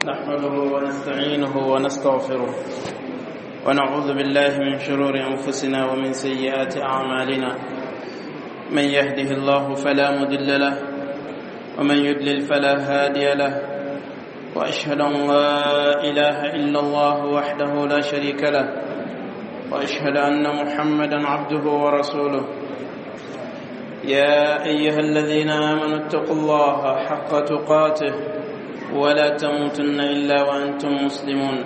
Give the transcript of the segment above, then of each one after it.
نحمده ونستعينه ونستغفره ونعوذ بالله من شرور أنفسنا ومن سيئات أعمالنا. من يهده الله فلا مضل له ومن يضلل فلا هادي له، وأشهد أن لا إله إلا الله وحده لا شريك له، وأشهد أن محمدا عبده ورسوله. يا أيها الذين آمنوا اتقوا الله حق تقاته ولا تموتن إلا وأنتم مسلمون.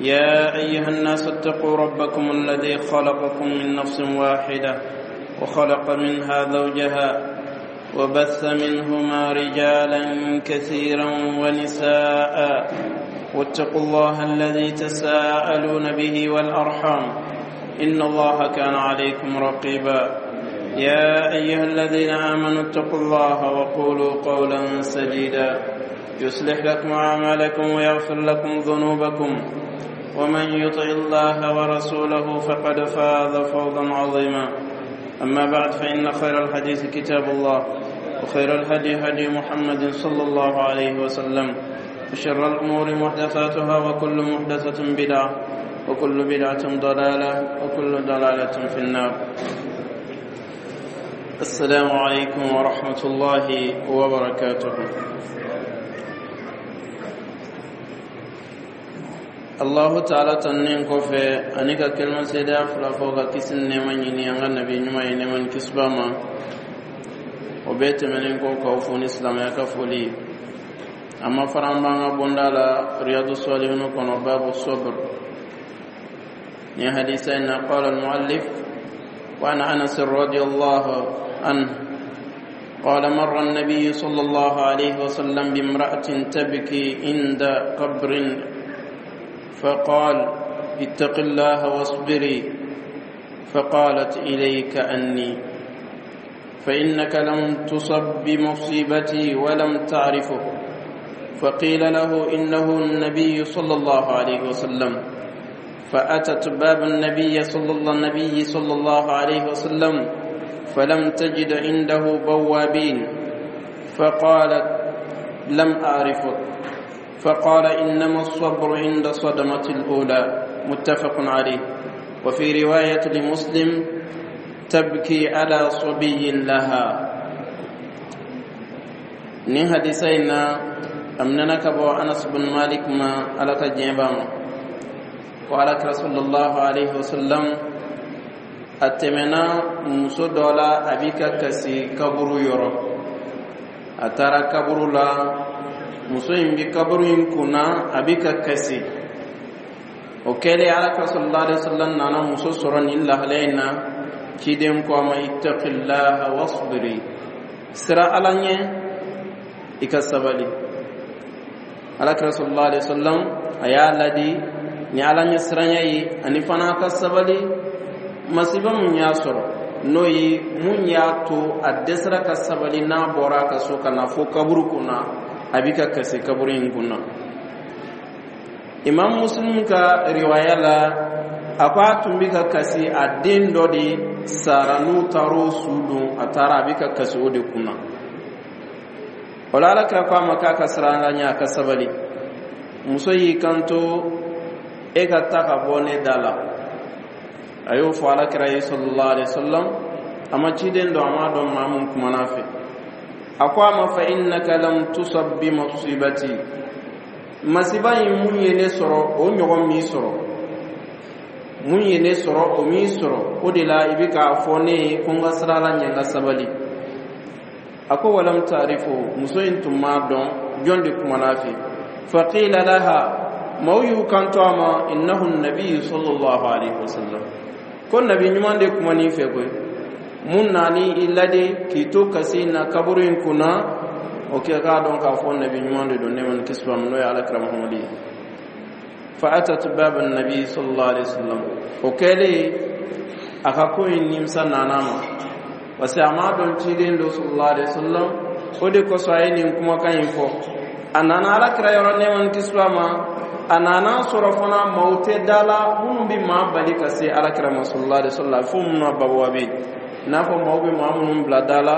يا أيها الناس اتقوا ربكم الذي خلقكم من نفس واحدة وخلق منها زوجها وبث منهما رجالا كثيرا ونساء، واتقوا الله الذي تساءلون به والأرحام إن الله كان عليكم رقيبا. يا أيها الذين آمنوا اتقوا الله وقولوا قولا سديدا يصلح لكم أعمالكم ويغفر لكم ذنوبكم، ومن يطع الله ورسوله فقد فاز فوزا عظيما. أما بعد، فإن خير الحديث كتاب الله، وخير الهدي هدي محمد صلى الله عليه وسلم، وشر الأمور محدثاتها، وكل محدثة بدعة، وكل بدعة ضلالة، وكل ضلالة في النار. السلام عليكم ورحمة الله وبركاته. Allahu taala tannen kɔfɛ ani ka kelima seedeya fila fɔ ka kisi ni nɛɛma ɲini an ka nabi ɲuman ye, nɛɛma ni kisi b'a ma. O bɛɛ tɛmɛnen kɔ, k'aw fo ni silamɛya ka foli ye. A ma fara an b'an ka bonda la Riyadu Salihinu kɔnɔ, babu sabr. Ni hadisa in na, qala al-muallif: wa an Anas radiyallahu anhu قال: مر النبي صلى الله عليه وسلم بامرأة تبكي عند قبر، فقال: اتق الله واصبري. فقالت: إليك أني، فإنك لم تصب بمصيبتي ولم تعرفه. فقيل له: إنه النبي صلى الله عليه وسلم. فأتت باب النبي صلى الله عليه وسلم فلم تجد عنده بوابين، فقالت: لم أعرفك. فقال: إنما الصبر عند صدمة الأولى. متفق عليه. وفي رواية لمسلم: تبكي على صبي لها. Ni hadisa in na, a minɛna ka bɔ Anas bin Malik ma, Ala ka diɲɛ b'a ma, ko Ala kira sallallahu alaihi wasallam a tɛmɛna muso dɔ la, a bi ka kasi kaburu yɔrɔ. A taara kaburu la, muso in bi kaburu in kunna, a bi ka kasi. O kɛlen, Ala kira sallallahu alaihi wasallam nana muso sɔrɔ nin lahalaya in na. Ciden ko a ma: ittaqillaha wasbiri, sira Ala ɲɛ, i ka sabali. Ala kira sallallahu alaihi wasallam a y'a ladi ni Ala ɲɛ siranya ye, ani fana ka sabali masiba mun y'a sɔrɔ, n'o ye mun y'a to a dɛsɛra ka sabali n'a bɔra a ka so ka na fo kaburu kunna, a bi ka kasi kaburu in kunna. Imam Muslim ka riwaya la, a ko a tun bi ka kasi, a den dɔ de sara, n'u taar'o su don, a taara, a bi ka kasi o de kunna. O la, Ala kira ko a ma k'a ka siran Ala ɲɛ, a ka sabali. Muso y'i kanto: e ka ta ka bɔ ne da la. A y'o fɔ Ala kira ye sallallahu alaihi wasallam. A ma ciden dɔn, a m'a dɔn maa mun kumana fɛ. A ko a ma: fa innaka lam tusab bi musibati, masiba in mun ye ne sɔrɔ, o ɲɔgɔn m'i sɔrɔ. Mun ye ne sɔrɔ, o m'i sɔrɔ. O de la i bɛ k'a fɔ ne ye ko n ka sira Ala ɲɛ, n ka sabali. A ko walam taarifu, muso in tun m'a dɔn jɔn de kumana fɛ. Faqila laha, maaw y'u kanto a ma: innahu nabiyu sallallahu alaihi wasallam, ko nabi ɲuman de kuman'i fɛ koyi, mun nani i ladi k'i to kasi na kaburu in kunna. O kɛ k'a dɔn k'a fɔ nabi ɲuman de don, nɛɛma ni kisi b'a ma, n'o ye Ala kira Muhamadu ye. Fa atat baba nabi sallallahu alaihi wasallam. O kɛlen, a ka ko in nimisa nana ma, parce que a m'a dɔn ciden don sallallahu alaihi wasallam. O de kosɔn a ye nin kumakan in fɔ. A nana Ala kira yɔrɔ, nɛɛma ni kisi b'a ma. A nana sɔrɔ fana maaw tɛ da la minnu bɛ maa bali ka se Ala kira ma sallallahu alaihi wasallam, fo minnu na babuwa bɛ yen, i n'a fɔ maaw bɛ maa minnu bila da la.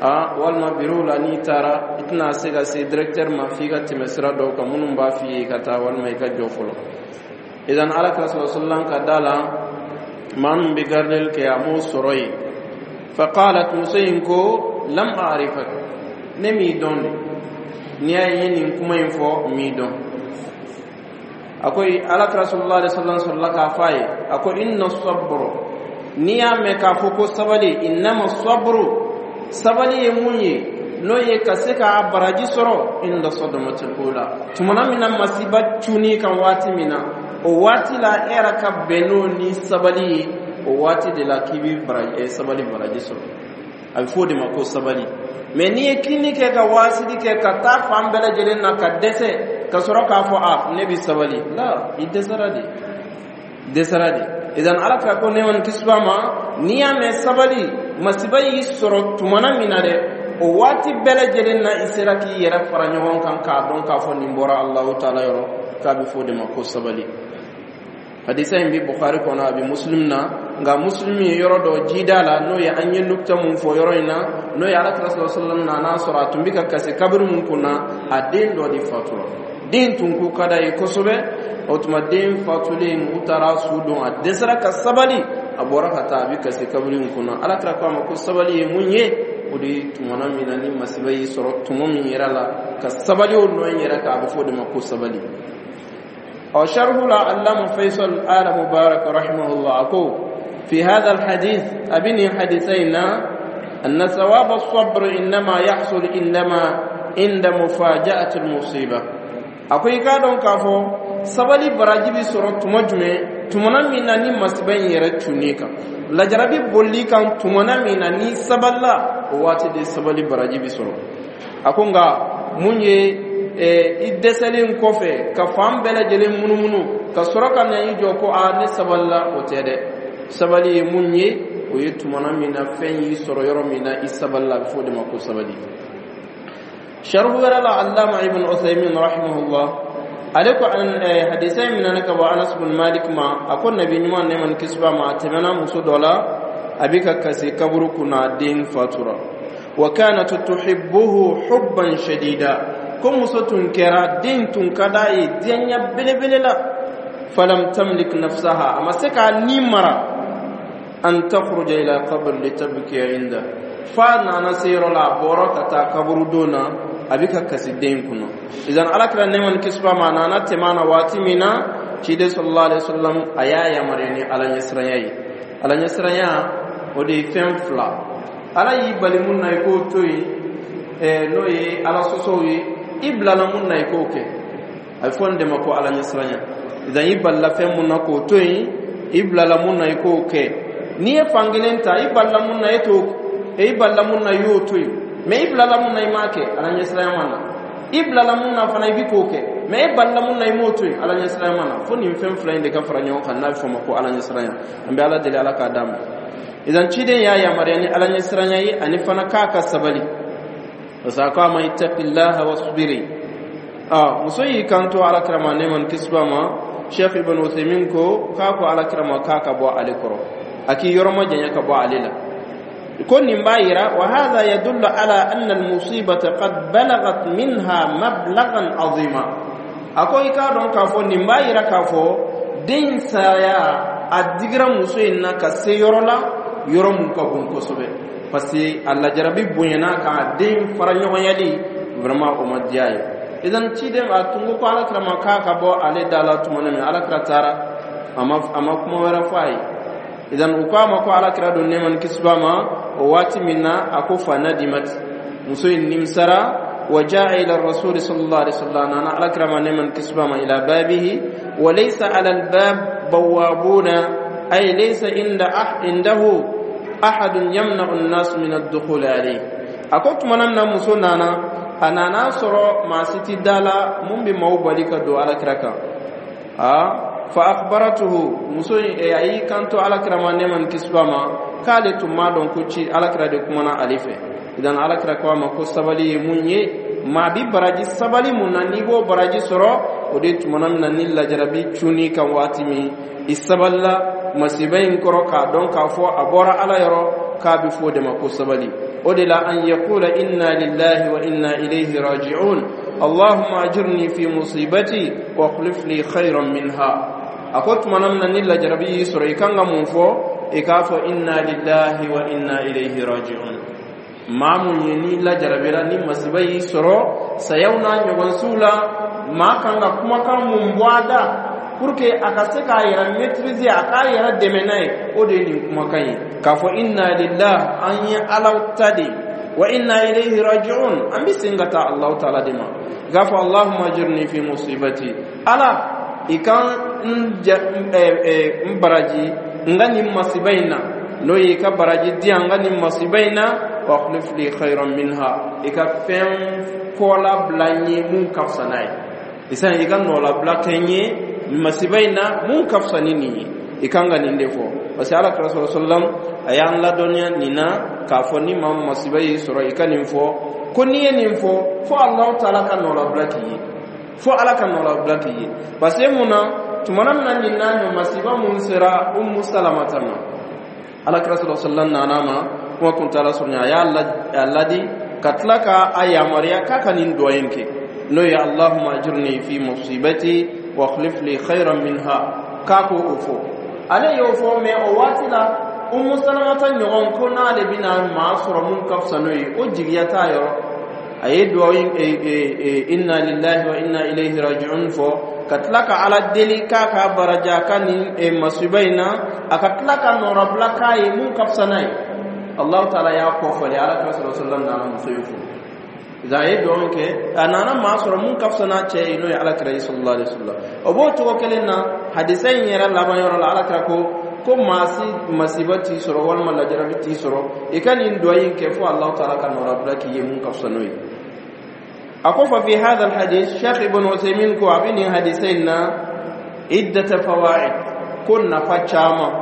A walima bureau la, n'i taara, i tɛna se ka se directeur ma f'i ka tɛmɛ sira dɔw kan minnu b'a f'i ye i ka taa walima i ka jɔ fɔlɔ. Idan Ala kira sallallahu ka da la, maa min bɛ gardeli kɛ, a m'o sɔrɔ yen. Faqalat, muso in ko: lam a'rifak, ne m'i dɔn de. N'i y'a ye nin kuma in fɔ, n m'i dɔn. A ko Ala kira sallallahu alaihi wasallam sɔrɔla k'a fɔ a ye, a ko: inna sabr, n'i y'a mɛn k'a fɔ ko sabali, innama sabru, sabali ye mun ye, n'o ye ka se k'a baraji sɔrɔ, inda sadamatil ula, tumana min na masiba cunni kan waati min na, o waati la, e yɛrɛ ka bɛn n'o ni sabali ye, o waati de la k'i bɛ baraji, sabali baraji sɔrɔ. A bɛ fɔ o de ma ko sabali. Mɛ n'i ye kinni kɛ, ka waasili kɛ, ka taa fan bɛɛ lajɛlen na ka dɛsɛ, ka sɔrɔ k'a fɔ: a ne bɛ sabali la, i dɛsɛra de, dɛsɛra de. Idan Ala kira ko nɛɛma ni kisi b'a ma, n'i y'a mɛn sabali, masiba y'i sɔrɔ tumana min na dɛ, o waati bɛɛ lajɛlen na, i sera k'i yɛrɛ fara ɲɔgɔn kan k'a dɔn k'a fɔ nin bɔra Alahu taala yɔrɔ, k'a bɛ fɔ o de ma ko sabali. Hadisa in bɛ Bukhari kɔnɔ, a bɛ Muslim na. Nka Muslim ye yɔrɔ dɔ jida la, n'o ye an ye nukta mun fɔ yɔrɔ in na, n'o ye Ala kira sallallahu alaihi wasallam nana sɔrɔ a tun bɛ ka kasi kabiri mun kunna, a den dɔ de fatura. Den tun ko ka d'a ye kosɛbɛ. O tuma den fatulen, u taara su don, a dɛsɛra ka sabali, a bɔra ka taa, a bɛ kasi kabiri in kunna. Ala kira ko a ma ko sabali ye mun ye? O de ye tumana min na ni masiba y'i sɔrɔ tuma min yɛrɛ la, ka sabali o nɔ in yɛrɛ kan, a bɛ fɔ o de ma ko sabali. Ɔ sharhu la, Allama Faisal Ala Mubarak rahimahullah a ko: fi hadha alhadith, a bɛ nin hadisa in na, anna thawab as-sabr innama yahsul indama inda mufaja'ati al-musiba. A ko i k'a dɔn k'a fɔ sabali baraji bɛ sɔrɔ tuma jumɛn? Tumana min na ni masiba in yɛrɛ cunni kan, lajarabi bolili kan, tumana min na ni sabalila, o waati de sabali baraji bɛ sɔrɔ. A ko nka mun ye i dɛsɛlen kɔfɛ ka fan bɛɛ lajɛlen munumunu ka sɔrɔ ka na i jɔ ko a ne sabalila, o tɛ dɛ. Sabali ye mun ye? O ye tumana min na fɛn y'i sɔrɔ yɔrɔ min na, i sabalila, a bɛ fɔ o de ma ko sabali. Sharhu wɛrɛ la, Allama Ibn Uthaymin rahimahullah ale ko hadisa in minɛna ka bɔ Anas bin Malik ma. A ko Nabi ɲuman nɛɛma ni kisi b'a ma, a tɛmɛna muso dɔ la, a bɛ ka kasi kaburu kunna, a den fatura. Wa kanat tuhibbuhu hubban shadida, ko muso tun kɛra, den tun ka d'a ye diɲɛ belebele la. Falam tamlik nafsaha, a ma se k'a ni mara, an takhruja ila qabr litabkiya inda, fa nana se yɔrɔ la, a bɔra ka taa kaburu don na, a bɛ ka kasi den kunna. Idan Ala kira nɛɛma ni kisi b'a ma, a nana tɛmɛ a na waati min na, ciden sallallahu alaihi wasallam a y'a yamaruya ni Ala ɲɛsiranya ye. Ala ɲɛsiranya, o de ye fɛn fila: Ala y'i bali mun na, i k'o to yen, n'o ye Ala sɔsɔw ye. I bilala mun na, i k'o kɛ. A bɛ fɔ nin de ma ko Ala ɲɛsiranya. Idan i balila fɛn mun na, k'o to yen, i bilala mun na, i k'o kɛ. N'i ye fan kelen ta, i balila mun na, e t'o, i balila mun na, i y'o to yen, mɛ i bilala mun na, i m'a kɛ, Ala ɲɛsiranya ma na. I bilala mun na fana, i bi k'o kɛ, mɛ e balila mun na, i m'o to yen, Ala ɲɛsiranya ma na. Fo nin fɛn fila in de ka fara ɲɔgɔn kan, n'a bɛ fɔ o ma ko Ala ɲɛsiranya. An bɛ Ala deli, Ala k'a d'a ma. Idan ciden y'a yamaruya ni Ala ɲɛsiranya ye, ani fana k'a ka sabali, parce que a ko a ma: ittaqillaha wasbiri. A muso y'i kanto Ala kira ma nɛɛma ni kisi b'a ma. Cheikh Ibn Uthaymin ko k'a ko Ala kira ma k'a ka bɔ ale kɔrɔ, a k'i yɔrɔ ma janya ka bɔ ale la. Ko nin b'a yira, wa hadha yadullu ala anna almusibata qad balagat minha mablagan azima. A ko i k'a dɔn k'a fɔ nin b'a yira k'a fɔ den saya, a digira muso in na ka se yɔrɔ la, yɔrɔ mun ka bon kosɛbɛ, parce que a lajarabi bonyana kan, a den fara ɲɔgɔnyali vraiment o ma diya ye. Idan ciden a tun ko Ala kira ma k'a ka bɔ ale da la tuma min, Ala kira taara, a ma kuma wɛrɛ fɔ a ye. Idan u ko a ma ko Ala kira don nɛɛma ni kisi b'a ma, o waati min na, a ko fa nadimat, muso in nimisara. Wa jaa ila rasuli sallallahu alaihi wasallam, nana Ala kira ma nɛɛma ni kisi b'a ma, ila babihi wa laysa ala albab bawabuna, ay laysa inda indahu ahadun yamna'u an-nas min ad-dukhul alayhi. A ko tumana min na muso nana, a nana sɔrɔ maa si ti da la mun bɛ maaw bali ka don Ala kira kan. A fa akhbaratuhu, muso in a y'i kanto Ala kira ma nɛɛma ni kisi b'a ma, k'ale tun m'a dɔn ko ci Ala kira de kumana ale fɛ. Idan Ala kira ko a ma ko sabali ye mun ye? Maa bi baraji sabali mun na, n'i b'o baraji sɔrɔ, o de tumana min na ni lajarabi cunni kan waati min, i sabalila masiba in kɔrɔ k'a dɔn k'a fɔ a bɔra Ala yɔrɔ, k'a bɛ fɔ o de ma ko sabali. O de la an yaqula inna lillahi wa inna ilayhi raji'un allahumma ajirni fi musibati wa akhlif li khayran minha. A ko tumana min na ni lajarabi y'i sɔrɔ, i kan ka mun fɔ? I k'a fɔ inna lillahi wa inna ilayhi raji'un. Maa mun ye ni lajarabira, ni masiba y'i sɔrɔ, sayaw n'a ɲɔgɔnsiw la, maa kan ka kumakan mun bɔ a da pour que a ka se k'a yɛrɛ maîtriser, a k'a yɛrɛ dɛmɛ n'a ye, o de ye nin kumakan ye k'a fɔ inna lillah, an ye Ala ta de, wa inna ilayhi raji'un, an bɛ segin ka taa Alahu taala de ma. I k'a fɔ allahumma ajirni fi musibati, Ala, i kan n ja n baraji n ka nin masiba in na, n'o ye i ka baraji di yan n ka nin masiba in na, wa akhlif li khayran minha, i ka fɛn kɔla bila n ye mun ka fisa n'a ye. Isan i ka nɔlabila kɛ n ye masiba in na mun ka fisa ni nin ye. I kan ka nin de fɔ, parce que Ala kira sɔrɔ sallam a y'an ladɔnniya nin na k'a fɔ ni maa masiba y'i sɔrɔ, i ka nin fɔ, ko n'i ye nin fɔ, fo Alahu taala ka nɔlabila k'i ye, fo Ala ka nɔlabila k'i ye. Parce que mun na, tumana min na nin n'a ɲɔ masiba mun sera Umu Salamata ma, Ala kira sɔrɔ sallam nana ma, kuma kuntaala surunya, a y'a ladi ka tila ka a yamaruya k'a ka nin duwa in kɛ, n'o ye allahumma ajirni fi musibati wa akhlif li khayran minha, k'a ko o fɔ. Ale y'o fɔ, mais o waati la Umu Salamata ɲɔgɔn ko n'ale bɛna maa sɔrɔ mun ka fisa n'o ye, o jigiya t'a yɔrɔ. A ye duwawu inna lillahi wa inna ilayhi raji'un fɔ ka tila ka Ala deli k'a ka baraji a ka nin masiba in na, a ka tila ka nɔrɔbila k'a ye mun ka fisa n'a ye. Allahu taala y'a kɔ fɔli, Ala kira sɔrɔ sallam nana muso in furu. A ye duwawu kɛ, a nana maa sɔrɔ mun ka fisa n'a cɛ ye, n'o ye Ala kira ye sallallahu alaihi wasallam. O b'o cogo kelen na, hadisa in yɛrɛ laban yɔrɔ la, Ala kira ko maa si masiba t'i sɔrɔ walima lajarabi t'i sɔrɔ, i ka nin duwawu in kɛ fo Allahu taala ka nɔrɔbila k'i ye mun ka fisa n'o ye. A ko fa fi hadha alhadith, Sheikh Ibn Uthaymeen ko a bɛ nin hadisa in na iddata fawaid, ko nafa caman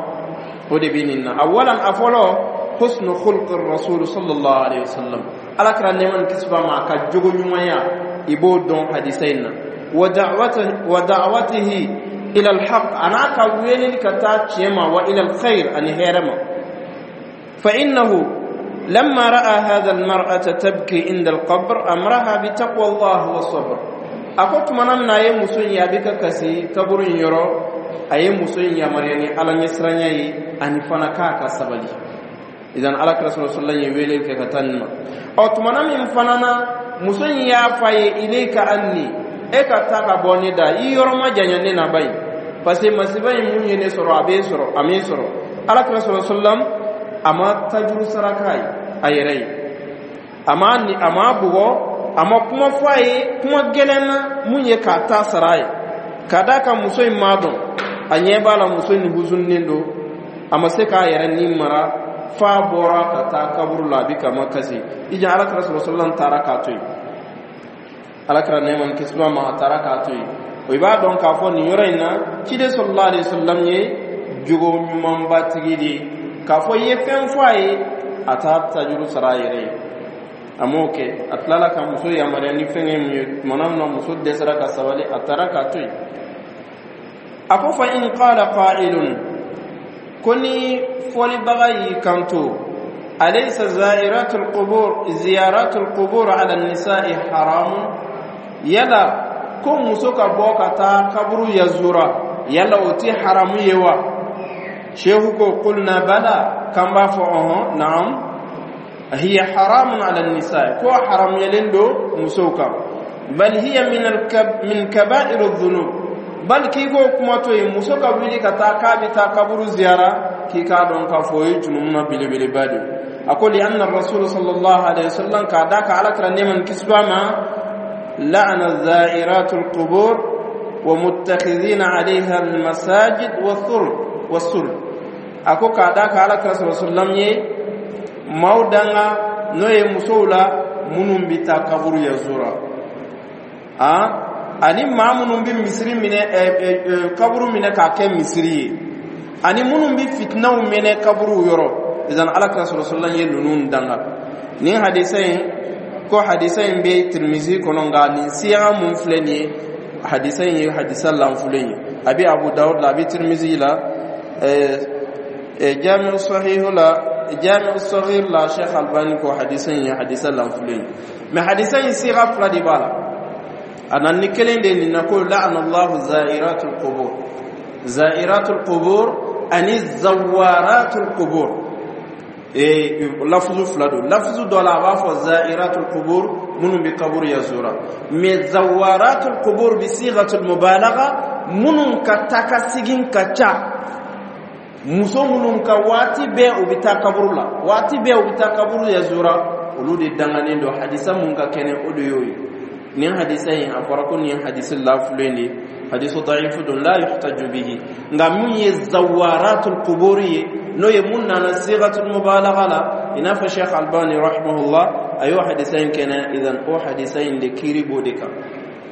o de bɛ nin na. Awalan, a fɔlɔ, husnu khulqi rasul sallallahu alaihi wasallam, Ala kira nɛɛma ni kisi b'a ma, a ka jogo ɲumanya, i b'o dɔn hadisa in na. Wa da'watihi ila alhaq, a n'a ka weleli ka taa tiɲɛ ma, wa ila alkhair, ani hɛrɛ ma. Fa innahu لما رأى هذا المرأة تبكي عند القبر أمرها بتقوى الله والصبر. Ako tumana min na a ye muso in ye a bɛ ka kasi kaburu in yɔrɔ, a ye muso in yamaruya ni Ala ɲɛsiranya ye, ani fana k'a ka sabali. Idan Ala kira sɔrɔ sallam ye wele kɛ ka taa nin ma. Ɔ, tumana min fana na muso in y'a fɔ a ye ilayka anni, e ka taa ka bɔ ne da, i yɔrɔ ma janya ne na ba in, parce que masiba in mun ye ne sɔrɔ, a b'e sɔrɔ, a m'e sɔrɔ. Ala kira sɔrɔ sallam a ma tajuru saraka ye a yɛrɛ ye, a ma ni a ma bugɔ, a ma kuma fɔ a ye kuma gɛlɛn na mun ye k'a ta sara a ye, ka d'a kan muso in m'a dɔn, a ɲɛ b'a la muso in huzunnen don, a ma se k'a yɛrɛ ni mara f'a bɔra ka taa kaburu la, a bɛ ka ma kasi. I jan Ala kira sɔrɔ sallam taara k'a to yen, Ala kira nɛɛma ni kisi b'a ma, a taara k'a to yen. O i b'a dɔn k'a fɔ nin yɔrɔ in na, ciden sallallahu alaihi wasallam ye jogo ɲumanbatigi de ye, k'a fɔ i ye fɛn fɔ a ye, a t'a tajuru sara a yɛrɛ ye, a m'o kɛ. A tilala ka muso yamaruya ni fɛn ye mun ye, tumana min na muso dɛsɛra ka sabali, a taara k'a to yen. A ko fa in qala qa'ilun, ko ni fɔlibaga y'i kanto, alaysa za'iratul qubur ziyaratul qubur ala nisa'i haramun, yala ko muso ka bɔ ka taa kaburu yazura, yala o ti haramu ye wa? Shehu ko qulna bala, kan b'a fɔ ɔhɔn, naam, hiya haramun ala nisa, ko haramuyalen don musow kan, bal hiya min kaba'ir dhunub, bal k'i k'o kuma to yen, muso ka wuli ka taa k'a bɛ taa kaburu ziyara, k'i k'a dɔn k'a fɔ o ye junumu na belebeleba de ye. A ko li anna rasul sallallahu alaihi wasallam, k'a da ka Ala kira nɛɛma ni kisi b'a ma, la'ana za'iratul qubur wa muttakhidhina 'alayha al-masajid wa thur wa sur. A ko k'a da ka Ala kira sallallahu alaihi wasallam ye maaw danga, n'o ye musow la minnu bɛ taa kaburu yazura, a ani maa minnu bɛ misiri minɛ, kaburu minɛ k'a kɛ misiri ye, ani minnu bɛ fitinaw minɛ kaburu yɔrɔ. Idan Ala kira sɔrɔ sallam ye ninnu danga. Nin hadisa in, ko hadisa in bɛ Tirimizi kɔnɔ, nka nin siya mun filɛ nin ye, hadisa in ye hadisa lanfulen ye. A bɛ Abu Dawud la, a bɛ Tirimizi la, Jamiu Sahihu la. Jami'u Saghir la, Sheikh Albani ko hadisa in ye hadisa lanfulen ye. Mais hadisa in, siga fila de b'a la. A nana ni kelen de nin na, ko la'ana Allahu za'iratul qubur, za'iratul qubur ani zawaratul qubur. Lafuzu fila don. Lafuzu dɔ la, a b'a fɔ za'iratul qubur, minnu bɛ kaburu yazura, mais zawaratul qubur bi sigatul mubalagha, minnu ka taa ka segin ka ca, muso minnu ka waati bɛɛ u bɛ taa kaburu la, waati bɛɛ u bɛ taa kaburu yazura, olu de danganen don. Hadisa mun ka kɛnɛ, o de y'o ye. Nin hadisa in, a fɔra ko nin hadisi lafulen de, hadisu da'ifu don, la yuhtaju bihi. Nka mun ye zawaratul qubur ye, n'o ye mun nana sigatul mubalagha la, i n'a fɔ Sheikh Albani rahimahullah a y'o hadisa in kɛnɛ. Idan o hadisa in de, kiiri b'o de kan,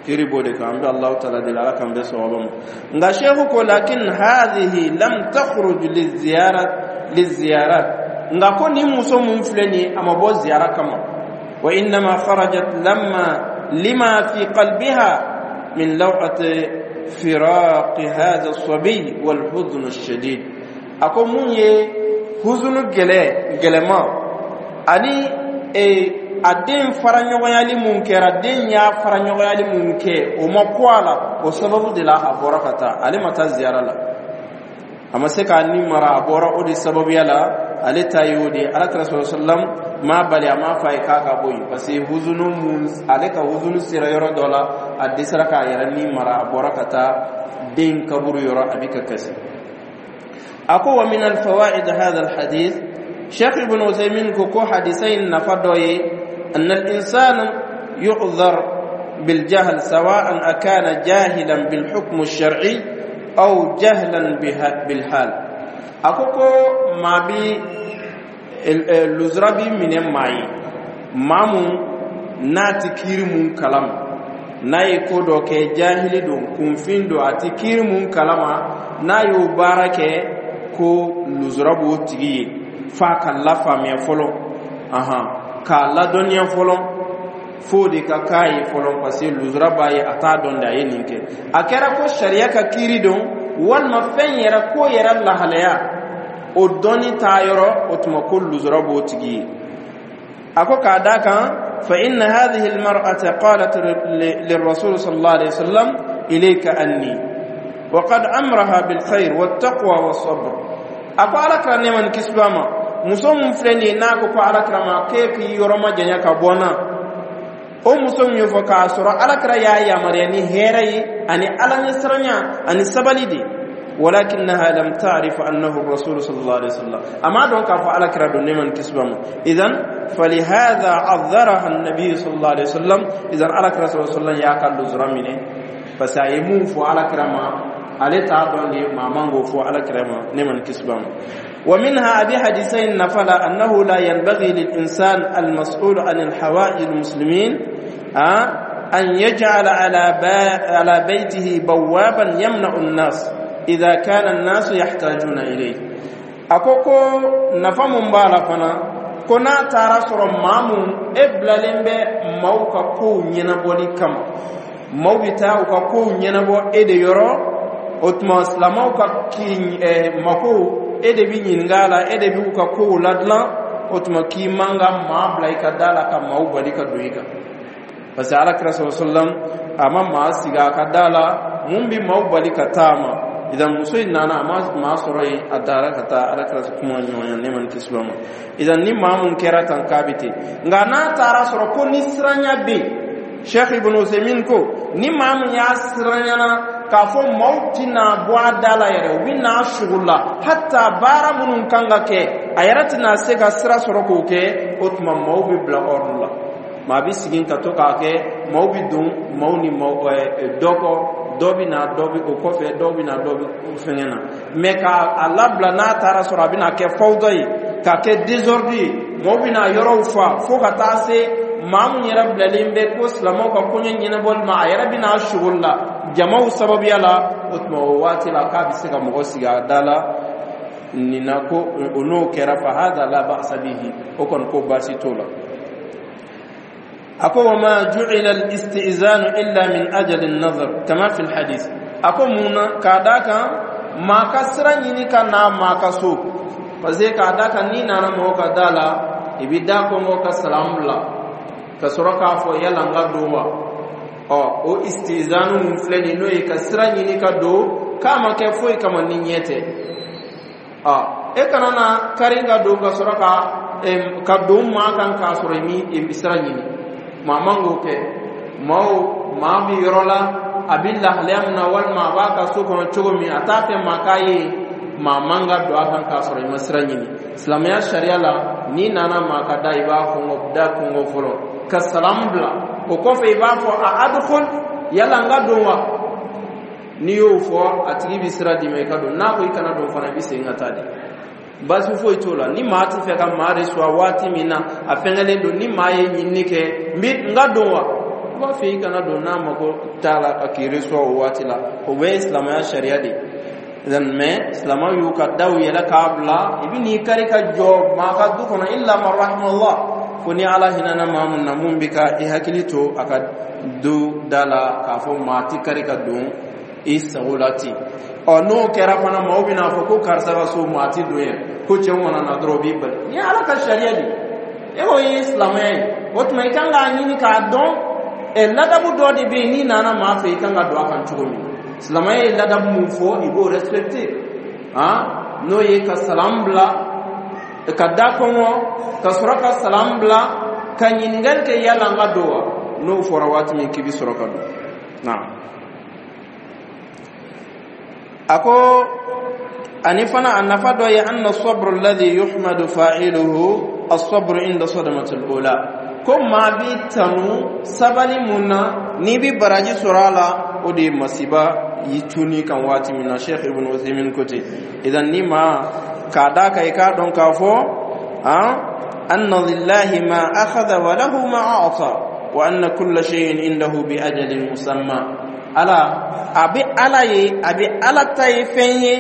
kiiri b'o de kan. An bɛ Allahu taala deli, Ala k'an bɛɛ sawaba ma. Nka sheikh ko lakin hadhihi lam takhruj liziyarat liziyarat. Nka ko nin muso mun filɛ nin ye, a ma bɔ ziyara kama. Wa innama kharajat lamma lima fi qalbiha min law'ati firaqi hadha as-sabiy wal huzn ash-shadid. A ko mun ye huzunu gɛlɛ gɛlɛma ani a den fara ɲɔgɔnyali mun kɛra, den y'a fara ɲɔgɔnyali mun kɛ, o ma ko a la, o sababu de la a bɔra ka taa. Ale ma taa ziyara la, a ma se k'a ni mara, a bɔra o de sababuya la. Ale ta ye o de ye. Ala kira sɔrɔ sallam m'a bali, a m'a fɔ a ye k'a ka bɔ yen, parce que huzunu mun, ale ka huzunu sera yɔrɔ dɔ la, a dɛsɛra k'a yɛrɛ ni mara, a bɔra ka taa den kaburu yɔrɔ, a bɛ ka kasi. A ko wa min alfawaid hadha alhadith, Sheikh Ibn Uthaymin ko hadisa in nafa dɔ ye أن الإنسان يعذر بالجهل، سواء أكان جاهلا بالحكم الشرعي أو جهلا بالحال. A ko maa bi luzura bi minɛ maa ye, maa mun n'a ti kiiri mun kalama, n'a ye ko dɔ kɛ, jahili don, kunfin don, a ti kiiri mun kalama, n'a y'o baara kɛ, ko luzura b'o tigi ye f'a ka lafaamuya fɔlɔ, ahan, k'a ladɔnniya fɔlɔ, f'o de ka k'a ye fɔlɔ, parce que luzura b'a ye, a t'a dɔn de a ye nin kɛ. A kɛra ko sariya ka kiiri don, walima fɛn yɛrɛ ko yɛrɛ lahalaya, o dɔnni t'a yɔrɔ, o tuma ko luzura b'o tigi ye. A ko k'a da kan فإن هذه المرأة قالت للرسول صلى الله عليه وسلم إليك عني، وقد أمرها بالخير والتقوى والصبر. A ko Ala kira nɛɛma ni kisi b'a ma, muso mun filɛ nin ye, n'a ko Ala kira ma k'e k'i yɔrɔ ma janya ka bɔ n na, o muso min y'o fɔ k'a sɔrɔ Ala kira y'a yamaruya ni hɛrɛ ye ani Ala ɲɛsiranya ani sabali de, ولكنها لم تعرف أنه الرسول صلى الله عليه وسلم. أما دون كاف على كرا دون من كسبهم. إذن فلهذا عذرها النبي صلى الله عليه وسلم. إذن على كرا صلى الله عليه وسلم يا كان لزرامين فسايمون فو على كرا ما ale t'a dɔn de, maa man k'o fɔ Ala kira ma ne ma ni kisi b'a ma. ومنها أبي حديثين نفلا أنه لا ينبغي للإنسان المسؤول عن الحوائج المسلمين أن يجعل على بيته بوابا يمنع الناس إذا كان الناس يحتاجون إليه. A ko nafa mun b'a la fana, ko n'a taara sɔrɔ maa mun e bilalen bɛ maaw ka kow ɲɛnabɔli kama, maaw bɛ taa u ka kow ɲɛnabɔ e de yɔrɔ, o tuma silamɛw ka ki makow, e de bi ɲininka a la, e de b'u ka kow ladilan, o tuma k'i man ka maa bila i ka da la ka maaw bali ka don i kan, parce que Ala kira sɔrɔ sallam a ma maa sigi a ka da la mun bi maaw bali ka taa ma. Idan muso in nana, a ma maa sɔrɔ yen, a dara ka taa Ala kira kuma ɲɔgɔnya ne ma ni kisi ma. Idan ni maa mun kɛra tan, k'a bɛ ten. Nka n'a taara sɔrɔ ko ni siranya bɛ yen, Sheikh Ibn Usaymin ko ni maa mun y'a siranyana k'a fɔ maaw tɛna bɔ a da la yɛrɛ, u bɛ n'a sugu la, hatta baara minnu kan ka kɛ, a yɛrɛ tɛna se ka sira sɔrɔ k'o kɛ, o tuma maaw bɛ bila ordre la, maa bɛ sigi ka to k'a kɛ, maaw bɛ don maaw ni maaw dɔ kɔ, dɔ bɛ na, dɔ bɛ o kɔfɛ, dɔ bɛ na, dɔ bɛ fɛngɛ na. Mɛ k'a labila, n'a taara sɔrɔ a bɛna kɛ fawda ye, k'a kɛ désordre ye, maaw bɛna yɔrɔw fa, fo ka taa se maa mun yɛrɛ bilalen bɛ ko silamɛw ka koɲɛ ɲɛnabɔli ma, a yɛrɛ bɛna sugoli la jamaw sababuya la, o tuma o waati la k'a bɛ se ka mɔgɔ sigi a da la nin na. Ko o n'o kɛra, fa hada la ba'sa bihi, o kɔni ko baasi t'o la. A ko wa ma ju'ila al-istizanu illa min ajali an-nazar kama fi al-hadith. A ko mun na, k'a d'a kan maa ka sira ɲini ka na maa ka so. Parce que k'a da kan, n'i nana mɔgɔ ka da la, i bɛ da kɔngɔ ka salam bila ka sɔrɔ k'a fɔ: "Yala n ka don wa?" Ɔ, o istizanu mun filɛ nin, n'o ye ka sira ɲini ka don, k'a ma kɛ foyi kama ni ɲɛ tɛ. Ɔ, e kana na kari ka don ka sɔrɔ ka don maa kan k'a sɔrɔ i mi sira ɲini. Maa man k'o kɛ. Maaw maa bɛ yɔrɔ la, a bɛ lahalaya min na, walima a b'a ka so kɔnɔ cogo min, a t'a fɛ maa k'a ye, maa man ka don a kan k'a sɔrɔ i ma sira ɲini. Silamɛya sariya la, n'i nana maa ka da, i b'a kɔngɔ, da kɔngɔ fɔlɔ ka salamu bila. O kɔfɛ, i b'a fɔ: "A adkhul, yala n ka don wa?" N'i y'o fɔ, a tigi bɛ sira d'i ma, i ka don. N'a ko i kana don fana, i bɛ segin ka taa de, baasi foyi t'o la. Ni maa ti fɛ ka maa reçoit waati min na, a fɛngɛlen don, ni maa ye ɲinini kɛ: "N bɛ n ka don wa?" I b'a fɛ i kana don. N'a mako t'a la k'i reçoit o waati la, o bɛɛ ye silamɛya sariya de ye. Mais silamɛw y'u ka daw yɛlɛ k'a bila, i bɛ n'i kari ka jɔ maa ka du kɔnɔ, illa man rahimallah, fo ni Ala hinɛna maa mun na, mun bɛ ka i hakili to a ka du da la k'a fɔ maa ti kari ka don i sago la ten. Ɔ, n'o kɛra fana, maaw bɛna fɔ ko karisa ka so, maa ti don yen, ko cɛw mana na dɔrɔn, o b'i bali. Ni Ala ka sariya de e ko ye silamɛya ye, o tuma i kan k'a ɲini k'a dɔn. Ɛ, ladabu dɔ de bɛ yen, n'i nana maa fɛ, i kan ka don a kan cogo min. Silamɛya ye ladabu mun fɔ, i b'o respecter. Han, n'o ye ka salam bila ka da kɔngɔ, ka sɔrɔ ka salam bila ka ɲininkali kɛ: "Yala n ka don wa?" N'o fɔra waati min, k'i bɛ sɔrɔ ka don. Naam. A ko ani fana, a nafa dɔ ye: anna sabru alladhi yuhmadu fa'iluhu as-sabru inda sadamati al-ula. Ko maa bi tanu sabali mun na, n'i bi baraji sɔrɔ a la, o de ye masiba yi cunni kan waati min na. Sheikh Ibn Uthaymin ko ten. Idan ni maa k'a da kan, i k'a dɔn k'a fɔ anna lillahi ma akhadha wa lahu ma a'ta wa anna kulla shay'in indahu bi ajalin musamma. Ala a bɛ Ala ye, a bɛ Ala ta ye fɛn ye,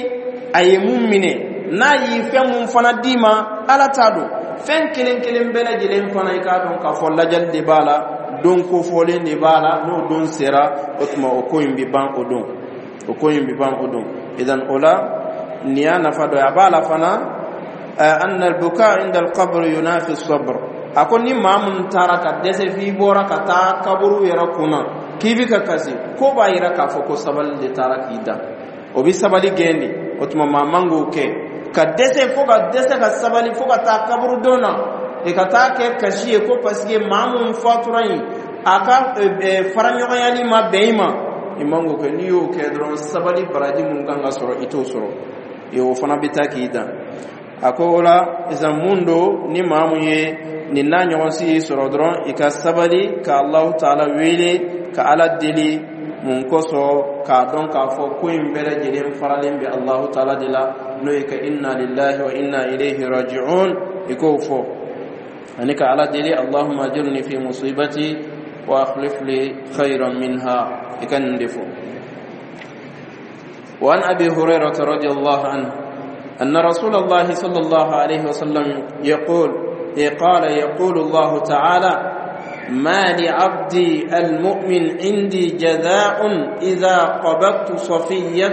a ye mun minɛ, n'a ye fɛn mun fana d'i ma, Ala t'a don. Fɛn kelen kelen bɛɛ lajɛlen fana, i k'a dɔn k'a fɔ lajɛli de b'a la, don kofɔlen de b'a la. N'o don sera, o tuma o ko in bɛ ban o don, o ko in bɛ ban o don. Idan o la, nin y'a nafa dɔ ye. A b'a la fana: anna al-buka inda al-qabr yunafi as-sabr. A ko ni maa mun taara ka dɛsɛ f'i bɔra ka taa kaburu yɛrɛ kunna k'i bi ka kasi, ko b'a yira k'a fɔ ko sabali de taara k'i da, o bi sabali gɛn de. O tuma maa man k'o kɛ, ka dɛsɛ fo ka dɛsɛ ka sabali fo ka taa kaburudon na, e ka taa kɛ kasi ye, ko parce que maa mun fatura yen, a ka faraɲɔgɔnyali ma bɛn i ma. I man k'o kɛ. N'i y'o kɛ dɔrɔn, sabali baraji mun kan ka sɔrɔ, i t'o sɔrɔ. O fana bɛ taa k'i dan. A ko o la sisan, mun don, ni maa mun ye nin n'a ɲɔgɔn si y'i sɔrɔ dɔrɔn, i ka sabali ka Alahu taala wele, ka Ala deli. Mun kosɔn? K'a dɔn k'a fɔ ko in bɛɛ lajɛlen faralen bɛ Alahu taala de la, n'o ye ka inna lillahi wa inna ilayhi raji'un, i k'o fɔ, ani ka Ala deli: "Allahumma ajirni fi musibati wa akhlif li khayran minha." I ka nin de fɔ. وعن أبي هريرة رضي الله عنه أن رسول الله صلى الله عليه وسلم يقول، قال: يقول الله تعالى: ما لعبدي المؤمن عندي جزاء إذا قبضت صفيه،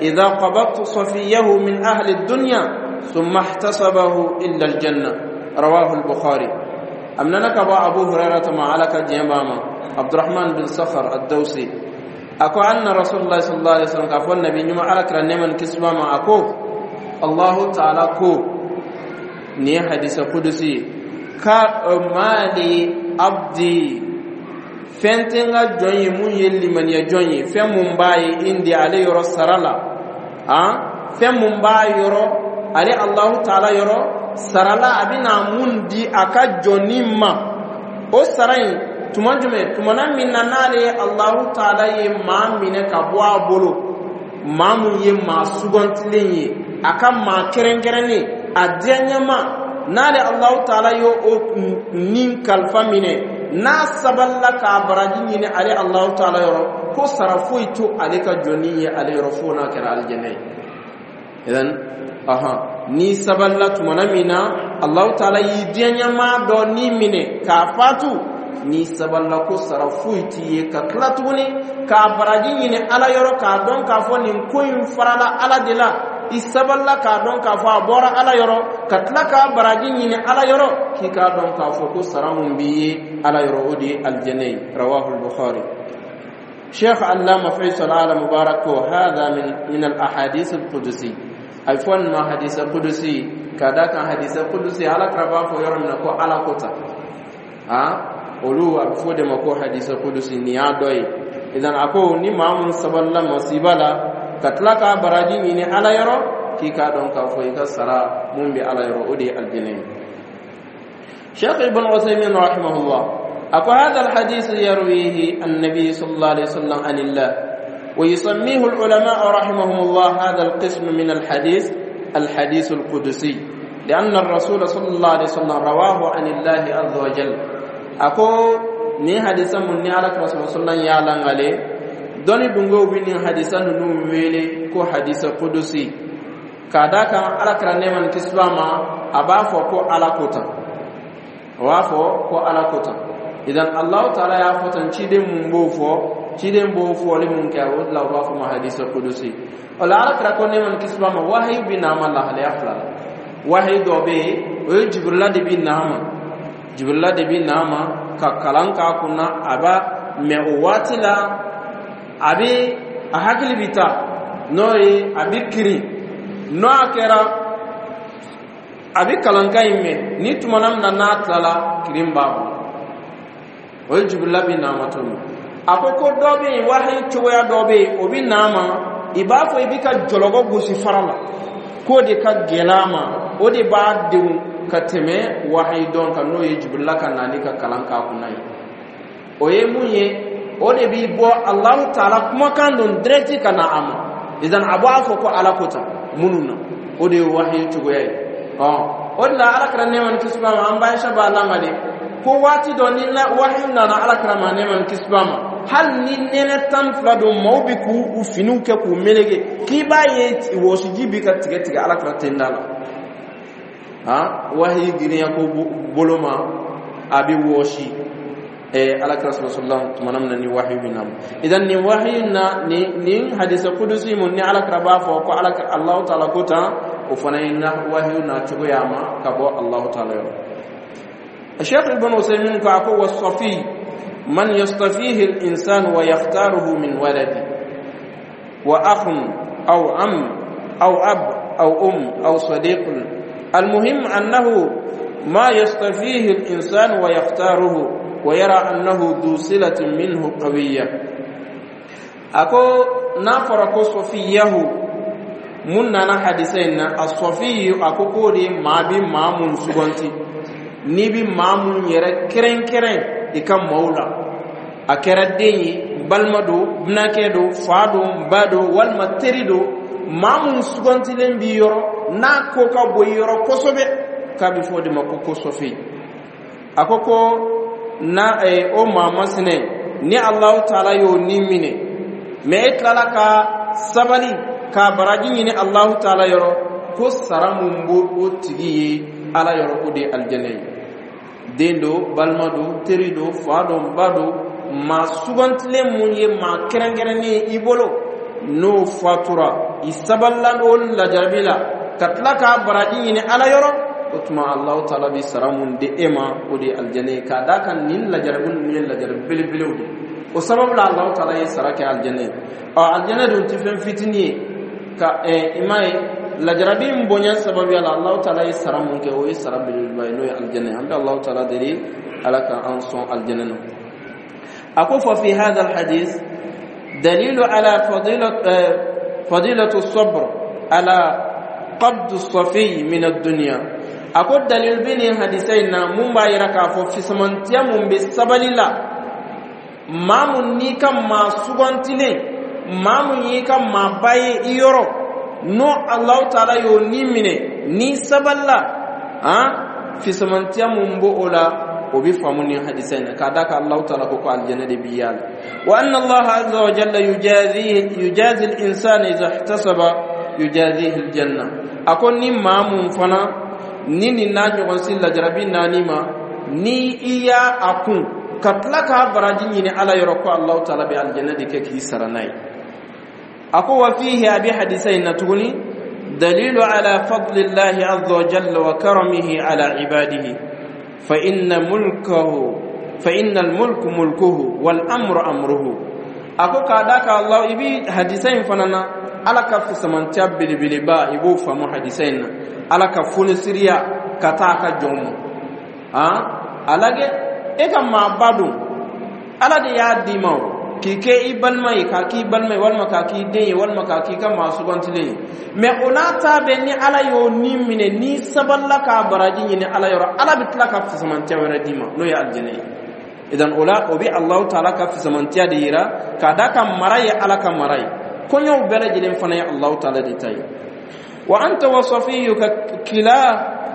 إذا قبضت صفيه من أهل الدنيا ثم احتسبه إلا الجنة. رواه البخاري. أمننا أبو هريرة مع لك جيماما عبد الرحمن بن صخر الدوسي. أكو أن رسول الله صلى الله عليه وسلم كفو النبي نما على كرنمان كسبا. أكو الله تعالى كو ني حديث قدسي ka mali abdi, fɛn tɛ n ka jɔn ye mun ye limaniya jɔn ye, fɛn mun b'a ye indi ale yɔrɔ sara la, han, fɛn mun b'a yɔrɔ, ale Alahu taala yɔrɔ sara la, a bɛna mun di a ka jɔnni ma, o sara in tuma jumɛn? Tumana min na n'ale ye Alahu taala ye maa minɛ ka bɔ a bolo, maa mun ye maa sugantilen ye, a ka maa kɛrɛnkɛrɛnnen, a diyaɲɛma, n'ale Alahu taala ye o nin kalifa minɛ, n'a sabalila k'a baraji ɲini ale Alahu taala yɔrɔ, ko sara foyi to ale ka jɔnni ye ale yɔrɔ fo n'a kɛra alijɛnɛ ye. Idan ahan, n'i sabalila tumana min na Alahu taala y'i diyaɲɛma dɔ ni minɛ k'a fatu, n'i sabalila, ko sara foyi t'i ye ka tila tuguni k'a baraji ɲini Ala yɔrɔ, k'a dɔn k'a fɔ nin ko in farala Ala de la. I sabalila k'a dɔn k'a fɔ a bɔra Ala yɔrɔ, ka tila k'a baraji ɲini Ala yɔrɔ, k'i k'a dɔn k'a fɔ ko sara mun b'i ye Ala yɔrɔ, o de ye alijɛnɛ ye. Rawahu Bukhari. Sheikh Allama Faisal Ala Mubarak ko hadha min al ahadith al qudusi, a bɛ fɔ nin ma hadisa qudusi, ka da kan hadisa qudusi, Ala kira b'a fɔ yɔrɔ min na ko Ala ko tan, a olu a bɛ fɔ o de ma ko hadisa qudusi. Nin y'a dɔ ye. Idan a ko ni maa mun sabalila masiba la, ka tila k'a baraji ɲini Ala yɔrɔ, k'i k'a dɔn k'a fɔ i ka sara mun bɛ Ala yɔrɔ, o de ye alijɛnɛ ye. Sheikh Ibn Uthaymin rahimahullah أكو هذا الحديث يرويه النبي صلى الله عليه وسلم عن الله، ويسميه العلماء رحمهم الله هذا القسم من الحديث الحديث القدسي، لأن الرسول صلى الله عليه وسلم رواه عن الله عز وجل. أكو ni hadisa mun ni Ala kira صلى الله عليه وسلم langale dɔnni dungow bi nin hadisa ninnu wele ko hadisa kudusi, k'a da kan Ala kira, nɛɛma ni kisi b'a ma, a b'a fɔ ko Ala ko tan, o b'a fɔ ko Ala ko tan. Idan Allahu taala y'a fɔ tan, ciden mun b'o fɔ, ciden b'o fɔli mun kɛ, o de la u b'a fɔ ma hadisa kudusi. O la, Ala kira ko, nɛɛma ni kisi b'a ma, wahayi bi n'a ma lahalaya fila la. Wahayi dɔ bɛ yen, o ye Jibirila de bi n'a ma, Jibirila de bi n'a ma ka kalan k'a kunna, a b'a mɛ o waati la, a bɛ a hakili bi taa, n'o ye a bɛ kirin, n'o a kɛra a bɛ kalankan in mɛn ni tumana min na n'a tilala, kirin b'a bolo. O ye Jibirila bi n'a ma to min. A ko ko dɔ bɛ yen, wahayi cogoya dɔ bɛ yen, o bɛ n'a ma i b'a fɔ i bɛ ka jɔlɔkɔ gosi fara la, k'o de ka gɛlɛn a ma, o de b'a denw ka tɛmɛ wahayi dɔn kan, n'o ye Jibirila ka nali ka kalan k'a kunna ye. O ye mun ye? O de b'i bɔ Alahu taala kumakan don direct ka na a ma. Idan a b'a fɔ ko Ala ko tan minnu na, o de ye wahayi cogoya ye. Ɔ o de la, Ala kira, nɛɛma ni kisi b'a ma, an ba Aisha b'a lakale ko waati dɔ ni wahayi nana Ala kira ma, nɛɛma ni kisi b'a ma, hali ni nɛnɛ 12 don, maaw bɛ k'u finiw kɛ k'u meleke, k'i b'a ye wɔsiji bi ka tigɛ tigɛ Ala kira tenda la. Han, wahayi girinya ko bolo ma, a bɛ wɔsi Ala kira صلى الله عليه وسلم tumana min na ni wahayi bɛ na. Idan nin wahayi na ni nin hadisa kudusi mun ni Ala kira b'a fɔ ko Ala, Allahu taala ko tan, o fana ye na wahayi na cogoya ma ka bɔ Allahu taala yɔrɔ. الشيخ ابن عثيمين كأكو والصفي من يصطفيه الإنسان ويختاره من ولد وأخ أو عم أو أب أو أم أو صديق، المهم أنه ما يصطفيه الإنسان ويختاره ويرى أنه ذو صلة منه قوية. أكو نافر كو صفيه mun nana hadisa in na, الصفي, a ko k'o de maa bi maa mun suganti, n'i bi maa mun yɛrɛ kɛrɛnkɛrɛn i ka maaw la, a kɛra den ye, balima don, binakɛ don, fa don, ba don, walima teri don, maa mun sugantilen b'i yɔrɔ, n'a ko ka bon i yɔrɔ kosɛbɛ, k'a bɛ fɔ o de ma ko صفي. A ko ko na o maa masinɛ ni Alahu taala y'o ni minɛ, mɛ e tilala ka sabali k'a baraji ɲini Alahu taala yɔrɔ, ko sara mun b'o o tigi ye Ala yɔrɔ, o de ye alijɛnɛ ye. Den don, balima don, teri don, fa don, ba don, maa sugantilen mun ye maa kɛrɛnkɛrɛnnen ye i bolo, n'o fatura, i sabalila o lajarabi la, ka tila k'a baraji ɲini Ala yɔrɔ, o tuma Alahu taala bi sara mun di e ma, o de ye alijɛnɛ ye. K'a d'a kan nin lajarabi ninnu ye lajarabi belebelew de, o sababu la Alahu taala ye sara kɛ alijɛnɛ ye. Ɔ, alijɛnɛ dun tɛ fɛn fitinin ye ka i m'a ye, lajarabi in bonya sababuya la, Alahu taala ye sara mun kɛ, o ye sara belebeleba ye, n'o ye alijɛnɛ ye. An bɛ Alahu taala deli, Ala ka an sɔn alijɛnɛ na. A ko ففي هذا الحديث دليل على فضيلة الصبر على قبض الصفي من الدنيا. A ko dalil bɛ nin hadisa in na mun b'a yira k'a fɔ fisamantiya mun bɛ sabali la, maa mun n'i ka maa sugantilen, maa mun y'i ka maaba ye i yɔrɔ, n'o Alahu taala y'o ni minɛ, n'i sabalila, han, fisamantiya mun b'o o la, o bɛ faamu nin hadisa in na, k'a d'a kan Alahu taala ko ko alijɛnɛ de b'i yaala. وأن الله عز وجل يجازي الإنسان إذا احتسب يجازيه الجنة. A ko ni maa mun fana ni nin n'a ɲɔgɔn si lajarabi naani ma, ni i y'a a kun ka tila k'a baraji ɲini Ala yɔrɔ, ko Alahu taala bɛ alijɛnɛ de kɛ k'i sara n'a ye. A ko وفيه, a bɛ hadisa in na tuguni. Dalilu ala fadlillahi azza wa jalla wa karamihi ala ibadihi, fa inna al-mulku mulkuhu wal amru amruhu. A ko k'a da ka Allah, i bi hadisa in fana na, Ala ka fisamantiya belebeleba, i b'o faamu hadisa in na, Ala ka fonisiriya ka taa a ka jɔn ma. A lajɛ, e ka maaba don, Ala de y'a d'i ma o k'i kɛ i balima ye, k'a k'i balima ye, walima k'a k'i den ye, walima k'a k'i ka maa sugantilen ye. Mɛ o n'a ta bɛɛ, ni Ala y'o ni minɛ, n'i sabalila k'a baraji ɲini Ala yɔrɔ, Ala bɛ tila ka fisamantiya wɛrɛ d'i ma, n'o ye alijinɛ ye. Idan o la, o bɛ Alahu taala ka fisamantiya de yira, k'a d'a ka mara ye Ala ka mara ye, koɲɛw bɛɛ lajɛlen fana ye Alahu taala de ta ye. Wa anta wa safiyuka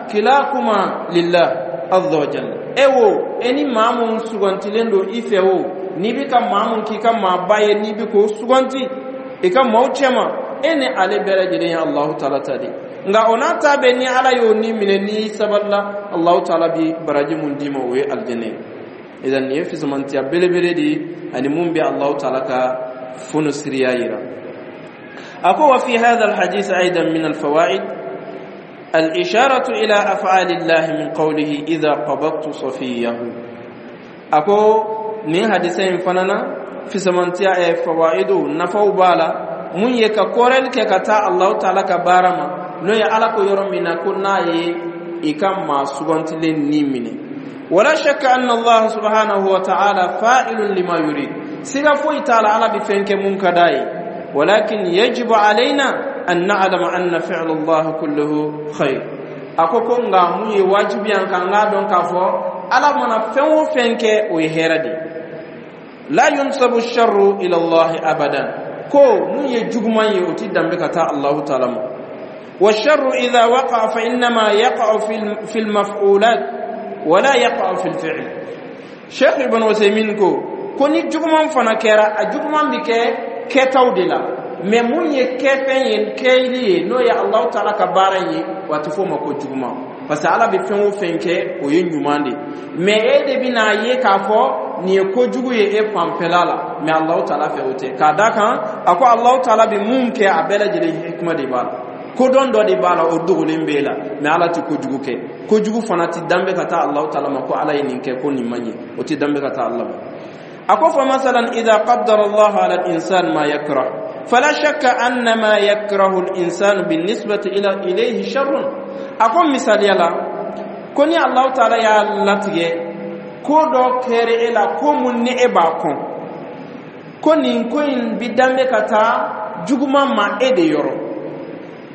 kilakuma lillah azza wa jalla. E wo, e ni maa mun sugantilen don i fɛ o, n'i bɛ ka maa mun k'i ka maaba ye, n'i bɛ k'o suganti i ka maaw cɛma, e ni ale bɛɛ lajɛlen ye Alahu taala ta de. Nka o n'a ta bɛɛ, ni Ala y'o ni minɛ, n'i sabalila, Alahu taala bi baraji mun d'i ma, o ye alijinɛ ye. Idan nin ye fisamantiya belebele de ye, ani mun bɛ Alahu taala ka fonisiriya yira. A ko wa fi hadha alhadith aidan min alfawaid الإشارة إلى أفعال الله من قوله إذا قبضت صفيه. A ko nin hadisa in fana na, fisamantiya ɛ fawaidu, nafaw b'a la, mun ye ka kɔrɛli kɛ ka taa Alahu taala ka baara ma, n'o ye Ala ko yɔrɔ min na ko n'a ye i ka maa sugantilen ni minɛ. Wala shakka anna Allah subhanahu wa ta'ala fa'ilun lima yurid. Siga foyi t'a la, Ala bɛ fɛn kɛ mun ka d'a ye. Walakin yajibu alayna an na'lama anna fi'la Allah kulluhu khair. A ko nka mun ye wajibi an kan, k'a dɔn k'a fɔ Ala mana fɛn o fɛn kɛ, o ye hɛrɛ de ye. La yunsabu sharru ila Allah abadan. Ko mun ye juguman ye, o ti danbe ka taa Allahu taala ma. والشر إذا وقع فإنما يقع في المفعولات ولا يقع في الفعل. Sheikh Ibn Usaymin ko ni juguman fana kɛra, a juguman bi kɛ kɛtaw de la, mɛ mun ye kɛfɛn ye, kɛli ye, n'o ye Allahu taala ka baara ye, wa a tɛ f'o ma ko juguman, parce que Ala bɛ fɛn o fɛn kɛ, o ye ɲuman de. Mɛ e de bɛna ye k'a fɔ nin ye kojugu ye e fanfɛla la, mɛ Allahu taala fɛ, o tɛ. K'a da kan, a ko Allahu taala bɛ mun kɛ, a bɛɛ lajɛlen hikima de b'a la, kodɔn dɔ de b'a la, o dogolen b'e la. Mɛ Ala tɛ kojugu kɛ, kojugu fana tɛ danbe ka taa Allahu taala ma ko Ala ye nin kɛ, ko nin man ɲɛ, o tɛ danbe ka taa Ala ma. A ko fa masalan idha qaddara Allah ala al-insan ma yakrah, fala shakka anna ma yakrahu al-insan بالنسبة ila ilayhi sharrun. A ko misaliya la, ko ni Allahu taala y'a latigɛ ko dɔ kɛra e la, ko mun ni e b'a kɔn, ko nin ko in bi danbe ka taa juguman ma e de yɔrɔ.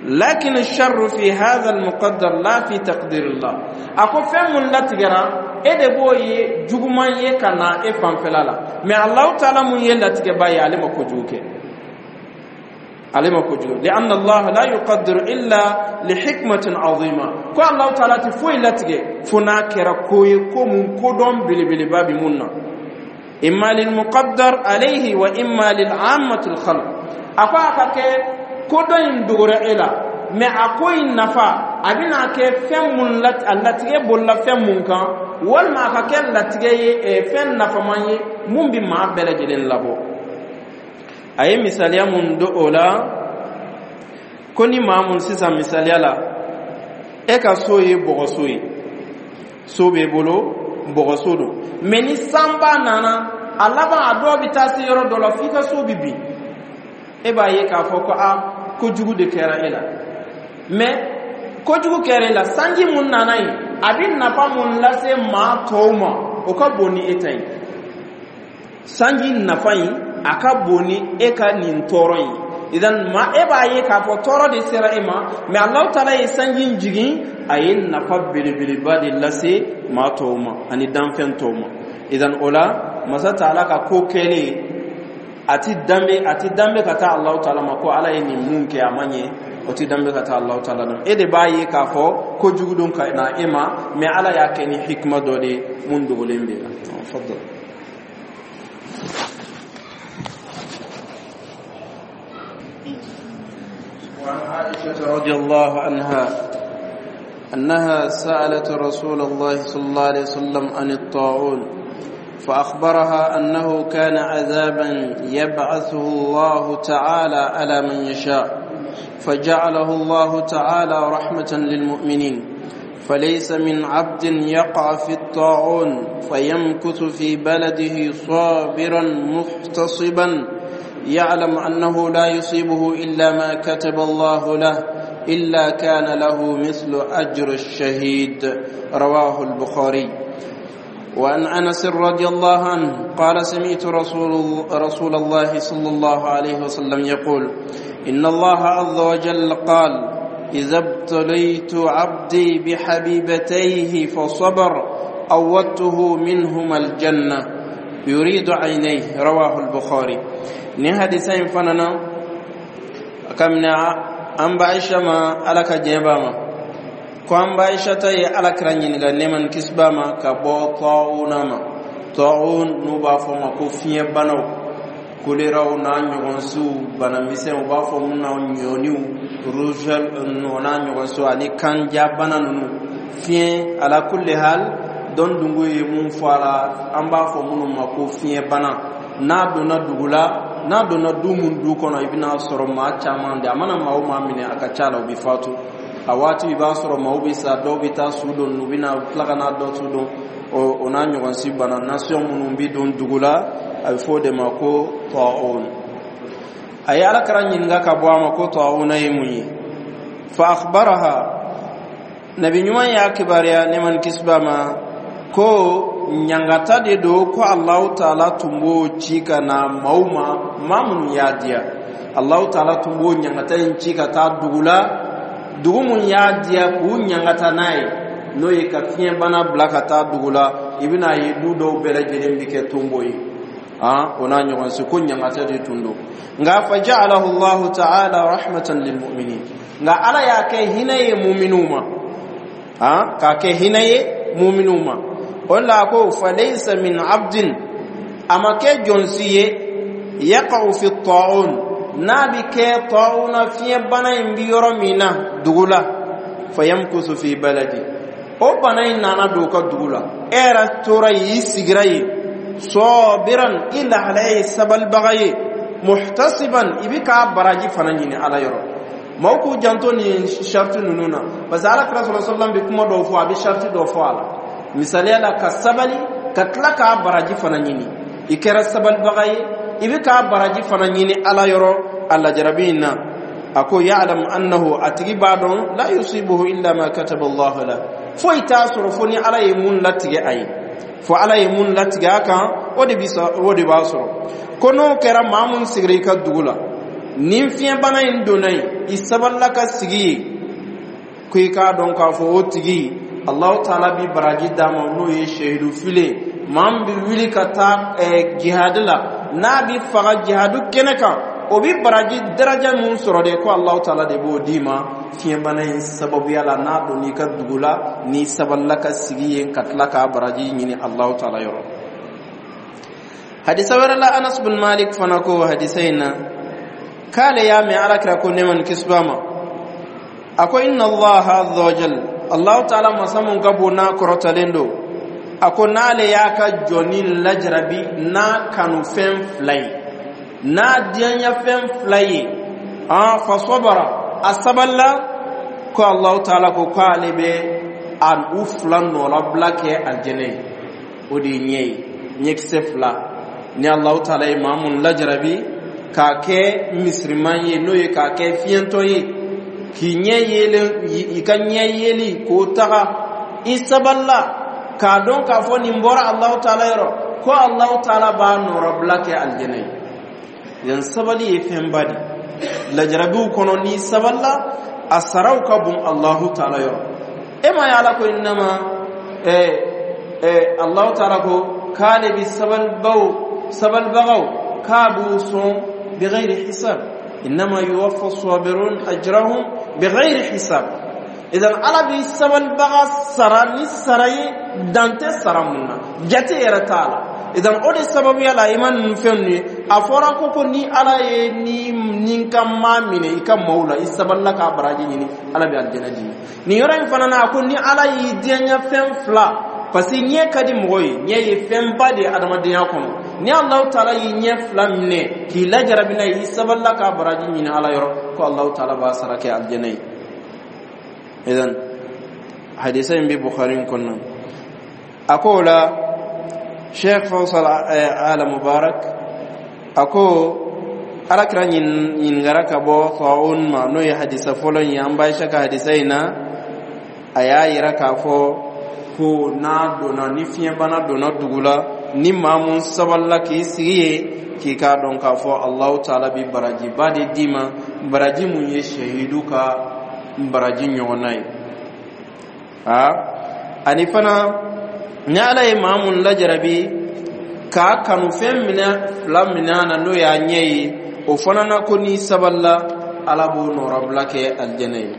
Lakin sharru fi hadha al-muqaddar la fi taqdir Allah. A ko fɛn mun latigɛra, e de b'o ye juguman ye ka na e fanfɛla la, mɛ Allahu taala mun ye latigɛba ye, ale ma kojugu kɛ, ale ma kojugu. Lianna Allah la yuqaddiru illa li hikmatin azima. Ko Allahu taala tɛ foyi latigɛ fo n'a kɛra ko ye, ko mun kodɔn belebeleba bi mun na, imma lil muqaddar alayhi wa imma lil ammati al khalq. A ko a ka kɛ kodɔn in dogora e la, mɛ a ko in nafa a bɛna kɛ fɛn mun la, a latigɛ bolila fɛn mun kan, walima a ka kɛ latigɛ ye fɛn nafaman ye mun bɛ maa bɛɛ lajɛlen labɔ. A ye misaliya mun do o la, ko ni maa mun sisan, misaliya la, e ka so ye bɔgɔso ye, so b'e bolo, bɔgɔso don, mɛ ni sanba nana, a laban a dɔw bɛ taa se yɔrɔ dɔ la f'i ka so bɛ bin, e b'a ye k'a fɔ ko a kojugu de kɛra e la. Mɛ kojugu kɛra e la, sanji mun nana yen, a bɛ nafa mun lase maa tɔw ma, o ka bon ni e ta ye. Sanji nafa in, a ka bon ni e ka nin tɔɔrɔ in. Idan ma e b'a ye k'a fɔ tɔɔrɔ de sera e ma, mɛ Alahu taala ye sanji in jigin, a ye nafa belebeleba de lase maa tɔw ma ani danfɛn tɔw ma. Idan o la, masa taala ka ko kɛlen, a ti danbe ka taa Alahu taala ma ko Ala ye nin mun kɛ, a ma ɲɛ, o ti danbe ka taa Alahu taala ma. E de b'a ye k'a fɔ kojugu don ka na e ma, mɛ Ala y'a kɛ ni hikima dɔ de ye mun dogolen b'e la. Fadal. وعن عائشة رضي الله عنها أنها سألت رسول الله صلى الله عليه وسلم عن الطاعون، فأخبرها أنه كان عذابا يبعثه الله تعالى على من يشاء. فجعله الله تعالى رحمة للمؤمنين. فليس من عبد يقع في الطاعون فيمكث في بلده صابرا محتصبا يعلم أنه لا يصيبه إلا ما كتب الله له إلا كان له مثل أجر الشهيد. رواه البخاري. وعن أنس رضي الله عنه قال: سمعت رسول الله صلى الله عليه وسلم يقول: إن الله عز وجل قال: إذا ابتليت عبدي بحبيبتيه فصبر أودته منهما الجنة، يريد عينيه. رواه البخاري. Ni hadisa in fana na kamina an ba Aisha ma, Ala ka diɲɛ b'a ma, ko an ba Aisha ta ye Ala kira ɲininka, nɛɛma ni kisi b'a ma, ka bɔ tɔɔna ma. Tɔɔn n'u b'a fɔ ma ko fiɲɛ banaw, koleraw n'a ɲɔgɔnsiw, banamisɛnw, u b'a fɔ mun na ɲɔniw, rougeole o n'a ɲɔgɔnsiw, ani kanjabana ninnu, fiɲɛ. Ala kulli hal, dɔn dungo ye mun fɔ a la, an b'a fɔ minnu ma ko fiɲɛ bana. N'a donna dugu la, n'a donna du mun du kɔnɔ, i bɛna sɔrɔ maa caman de a mana maa o maa minɛ, a ka ca la, u bɛ fatu. A waati i b'a sɔrɔ maaw bɛ sa, dɔw bɛ taa su don, u bɛna tila ka n'a dɔ su don. O n'a ɲɔgɔn si bana nasɔn minnu bɛ don dugu la, a bɛ fɔ o de ma ko tɔɔn. A ye Ala kira ɲininka ka bɔ a ma ko tɔɔn ye mun ye. Fa akhbaraha, Nabi ɲuman y'a kibaruya, nɛɛma ni kisi b'a ma, ko ɲangata de don, ko Alahu Taala tun b'o ci ka na maaw ma, maa minnu y'a diya. Alahu Taala tun b'o ɲangata in ci ka taa dugu la, dugu mun y'a diya, k'u ɲangata n'a ye, n'o ye ka fiɲɛbana bila ka taa dugu la. I bɛna ye du dɔw bɛɛ lajɛlen bɛ kɛ tonbo ye, o n'a ɲɔgɔn si, ko ɲangata de tun don. Nka fa ja'alahu Allahu ta'ala rahmatan lil mu'minin, nka Ala y'a kɛ hinɛ ye muminuw ma, k'a kɛ hinɛ ye muminuw ma. O la ko falaysa min abdin, a ma kɛ jɔnsi ye, yaqa'u fi ta'un, n'a bi kɛ ta'una, fiɲɛ bana in bi yɔrɔ min na dugu la, fayamkusu fi baladi, o bana in nana don ka dugu la, e yɛrɛ tora yen, i sigira yen, sɔbiran, i lahalaya ye sabalibaga ye, muhtasiban, i bi k'a baraji fana ɲini Ala yɔrɔ. Maaw k'u janto nin sariti ninnu na, parce que Ala kira sɔrɔ sallam bɛ kuma dɔw fɔ, a bɛ sariti dɔw fɔ a la. Misaliya la, ka sabali ka tila k'a baraji fana ɲini. I kɛra sabalibaga ye, i bɛ k'a baraji fana ɲini Ala yɔrɔ. A lajarabi in na, a ko ya'lam annahu, a tigi b'a dɔn, la yusibuhu illa ma kataba Allah la, foyi t'a sɔrɔ fo ni Ala ye mun latigɛ a ye, fo Ala ye mun latigɛ a kan, o de bi o de b'a sɔrɔ. Ko n'o kɛra, maa mun sigira i ka dugu la, ni fiɲɛbana in donna yen, i sabalila ka sigi yen, ko i k'a dɔn k'a fɔ o tigi, Allahu Taala bi baraji d'a ma, n'o ye sehidu file. Maa min bɛ wuli ka taa jihadi la, n'a bi faga jihadu kɛnɛ kan, o bi baraji daraja mun sɔrɔ de, ko Allahu Taala de b'o d'i ma fiɲɛbana in sababuya la, n'a donn'i ka dugu la, n'i sabalila ka sigi yen ka tila k'a baraji ɲini Allahu Taala yɔrɔ. Hadisa wɛrɛ la, Anas bin Malik fana ko hadisa in na k'ale y'a mɛn Ala kira ko, nɛɛma ni kisi b'a ma, a ko: inna Allaha azza wa jal, Allahu Taala masa mun ka bon n'a kɔrɔtalen don, a ko n'ale y'a ka jɔni lajarabi n'a kanufɛn fila ye, n'a diyaɲafɛn fila ye, an fa sabara, a sabalila, ko Allahu Taala ko k'ale bɛ a u fila nɔlabila kɛ alijɛnɛ ye. O de ye ɲɛ ye, ɲɛkisɛ fila. Ni Allahu Taala ye maa mun lajarabi k'a kɛ misiriman ye, n'o ye k'a kɛ fiɲɛtɔ ye, k'i ɲɛ yelen, i ka ɲɛ yeli k'o taga, i sabalila k'a dɔn k'a fɔ nin bɔra Allahu Taala yɔrɔ, ko Allahu Taala b'a nɔrɔbila kɛ alijɛnɛ ye. Yan sabali ye fɛnba de lajarabiw kɔnɔ. N'i sabalila, a saraw ka bon Allahu Taala yɔrɔ. E ma ye, Ala ko innama Allahu Taala ko k'ale bi sabalibaw, sabalibagaw, k'a b'u sɔn bighairi hisab, innama yuwaffa sabirun ajrahum bighairi hisab. Idan Ala bi sabalibaga sara ni sara ye dan tɛ sara mun na, jate yɛrɛ t'a la. Idan o de sababuya la, i ma ninnu fɛn ninnu ye, a fɔra ko ni Ala ye ni ka maa minɛ i ka maaw la, i sabalila k'a baraji ɲini, Ala bɛ alijɛnɛ d'i ma. Nin yɔrɔ in fana na, a ko ni Ala y'i diyaɲɛ fɛn fila Parce que ɲɛ ka di mɔgɔ ye, ɲɛ ye fɛnba de ye adamadenya kɔnɔ. Ni Alahu Taala y'i ɲɛ fila minɛ k'i lajarabi n'a ye, i sabalila k'a baraji ɲini Ala yɔrɔ, ko Alahu Taala b'a sara kɛ alijɛnɛ ye. Idan hadisa in bɛ Bukhari in kɔnɔna. A ko o la, Sheikh Faisal Ala Mubarak a ko Alakira ɲininkara ka bɔ taun ma, n'o ye hadisa fɔlɔ in ye. An ba Aisha ka hadisa in na, a y'a yira k'a fɔ ko n'a donna, ni fiɲɛbana donna dugu la, ni maa mun sabalila k'i sigi yen, k'i k'a dɔn k'a fɔ Alahu Taala bi barajiba de d'i ma, baraji mun ye shahidu ka baraji ɲɔgɔnna ye. A ani fana, ni Ala ye maa mun lajarabi k'a kanu fɛn minɛ fila minɛ na, n'o y'a ɲɛ ye, o fana na, ko n'i sabalila, Ala b'o nɔrɔbila kɛ alijɛnɛ ye.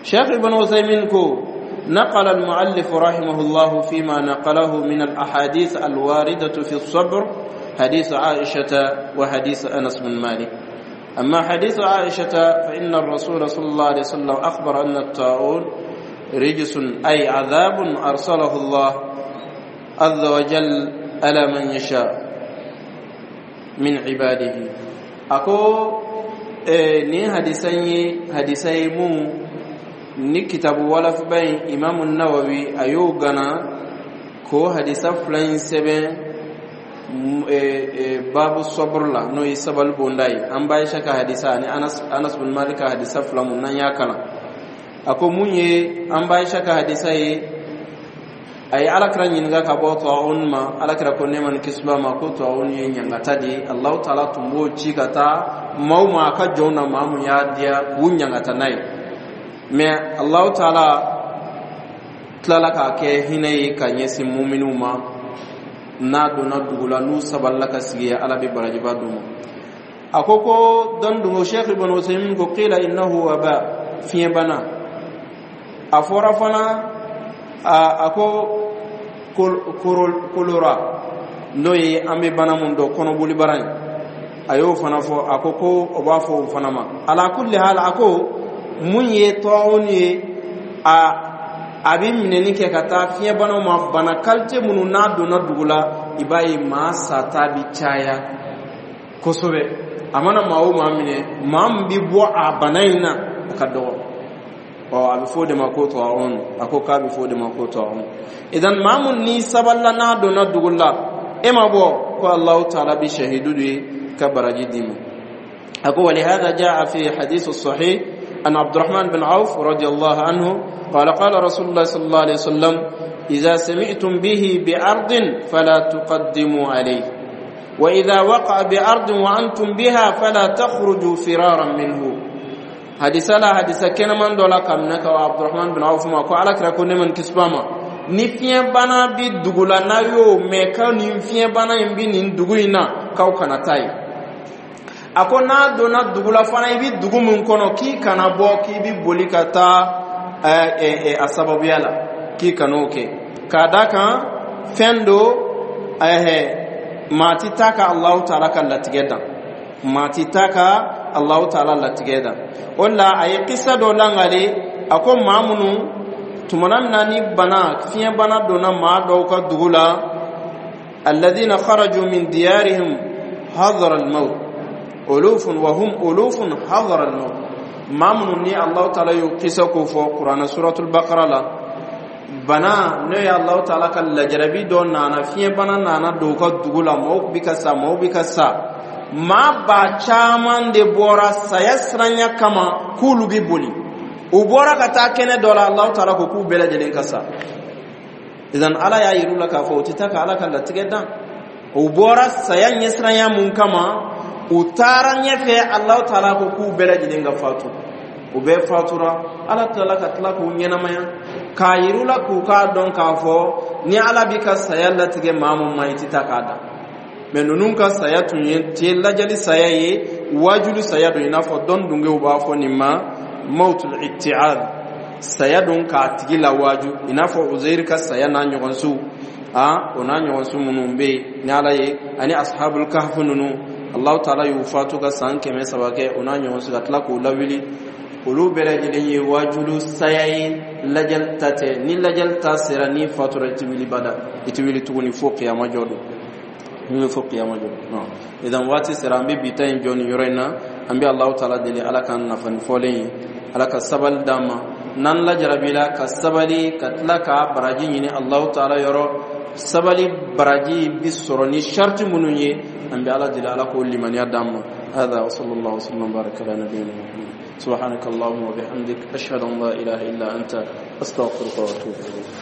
Cheikh Ibn Uthaymin ko: نقل المؤلف رحمه الله فيما نقله من الأحاديث الواردة في الصبر حديث عائشة وحديث أنس بن مالك. أما حديث عائشة، فإن الرسول صلى الله عليه وسلم أخبر أن الطاعون رجس، أي عذاب أرسله الله عز وجل على من يشاء من عباده. أكو إيه ni hadisan ye hadisa ye mun ni kitabu walafiba in, Imamu Nawawi a y'o gana k'o hadisa fila in sɛbɛn babu sɔburu la, n'o ye sabali bonda ye. An ba Aisha ka hadisa ani Anas bin Malik ka hadisa fila mun n'an y'a kalan, a ko mun ye an ba Aisha ka hadisa ye, a ye Alakira ɲininka ka bɔ taun ma. Alakira ko, nɛɛma ni kisi b'a ma, ko taun ye ɲangata de ye. Alahu Taala tun b'o ci ka taa maaw ma, a ka jɔnw na, maa mun y'a diya k'u ɲangata n'a ye. Mɛ Alahu Taala tilala k'a kɛ hinɛ ye ka ɲɛsin muminiw ma. N'a donna dugu la, n'u sabalila ka sigi, Ala bɛ barajiba d'u ma. A ko ko dɔn dungo, Sheikh Ibn Usaymin ko: qila innahu waba, fiɲɛbana. A fɔra fana a ko kolora, n'o ye an bɛ bana mun dɔn, kɔnɔboli bara in, a y'o fana fɔ. A ko ko o b'a fɔ o fana ma. Ala kulli hal, a ko mun ye tɔɔrɔ ye, a bɛ minɛni kɛ ka taa fiɲɛbanaw ma, bana qualité minnu n'a donna dugu la, i b'a ye maa sata bi caya kosɛbɛ. A mana maa o maa minɛ, maa min bɛ bɔ a bana in na, a ka dɔgɔ. Ɔ a bɛ fɔ o de ma ko tɔɔrɔ. A ko k'a bɛ fɔ o de ma ko tɔɔrɔ. Idan maa mun ni sabalila, n'a donna dugu la, e ma bɔ, ko Alahu Taala bi shahidu de ka baraji d'i ma. A ko: ولهذا جاء في حديث الصحيح أن عبد الرحمن بن عوف رضي الله عنه قال: قال رسول الله صلى الله عليه وسلم: إذا سمعتم به بأرض فلا تقدموا عليه، وإذا وقع بأرض وأنتم بها فلا تخرجوا فرارا منه. Hadisa la, hadisa kɛnɛman dɔ la ka minɛ ka Abdurahman bin Awf ma, ko Ala kira ko, nɛɛma ni kisi b'a ma, ni fiɲɛbana bi dugu la, n'a y'o mɛn k'aw nin fiɲɛbana in bi nin dugu in na, k'aw kana taa yen. A ko n'a donna dugu la fana, i bi dugu min kɔnɔ, k'i kana bɔ k'i bi boli ka taa a sababuya la, k'i kan'o kɛ, k'a da kan fɛn do maa ti taa ka Alahu Taala ka latigɛ dan, maa ti taa ka Alahu Taala latigɛ dan. O la, a ye kisa dɔ langale. A ko maa minnu tumana min na ni bana fiɲɛbana donna maa dɔw ka dugu la, alladhina kharaju min diyarihim hadara al-maut ulufun wa hum ulufun hadara al-maut. Maa minnu ni Alahu Taala y'o kisa ko fɔ Kuranɛ suratul Bakara la, bana n'o ye Alahu Taala ka lajarabi dɔ nana, fiɲɛbana nana don u ka dugu la, maaw bi ka sa, maaw bi ka sa, maa ba caman de bɔra saya siranya kama k'olu bi boli. U bɔra ka taa kɛnɛ dɔ la, Alahu Taala ko k'u bɛɛ lajɛlen ka sa. Idan Ala y'a yir'u la k'a fɔ u tɛ taa ka Ala ka latigɛ dan. U bɔra saya ɲɛsiranya mun kama, u taara ɲɛfɛ, Alahu Taala ko k'u bɛɛ lajɛlen ka fatu. U bɛɛ fatura. Ala tilala ka tila k'u ɲɛnamaya k'a yir'u la k'u k'a dɔn k'a fɔ ni Ala b'i ka saya latigɛ maa mun ma, i tɛ taa k'a dan. Mɛ ninnu ka saya tun ye tɛ lajali saya ye, wajulu saya don. I n'a fɔ dɔn dungew b'a fɔ nin ma mawtul itti'ad, saya don k'a tigi lawaju, i n'a fɔ Uzairi ka saya n'a ɲɔgɔnsiw, a o n'a ɲɔgɔnsiw minnu bɛ yen ni Ala ye, ani ashabul kahf ninnu, Allahu Taala y'u fatu ka san 300 kɛ, o n'a ɲɔgɔnsiw, ka tila k'u lawuli. Olu bɛɛ lajɛlen ye wajulu saya ye. Lajɛli ta tɛ. Ni lajɛli ta sera, ni fatura, i tɛ wuli bada, i tɛ wuli tuguni fo kiyama jɔ don, ni fo kiyama jɔ don. Idan waati sera, an bɛ bi ta in jɔ nin yɔrɔ in na. An bɛ Alahu Taala deli, Ala k'an nafa ni fɔlen ye, Ala ka sabali d'an ma n'an lajarabila, ka sabali ka tila k'a baraji ɲini Alahu Taala yɔrɔ. Sabali baraji bi sɔrɔ ni sariti minnu ye, an bɛ Ala deli, Ala k'o limaniya d'an ma. هذا وصلى الله وسلم وبارك على نبينا محمد. سبحانك اللهم وبحمدك، أشهد أن لا إله إلا أنت، أستغفرك وأتوب إليك.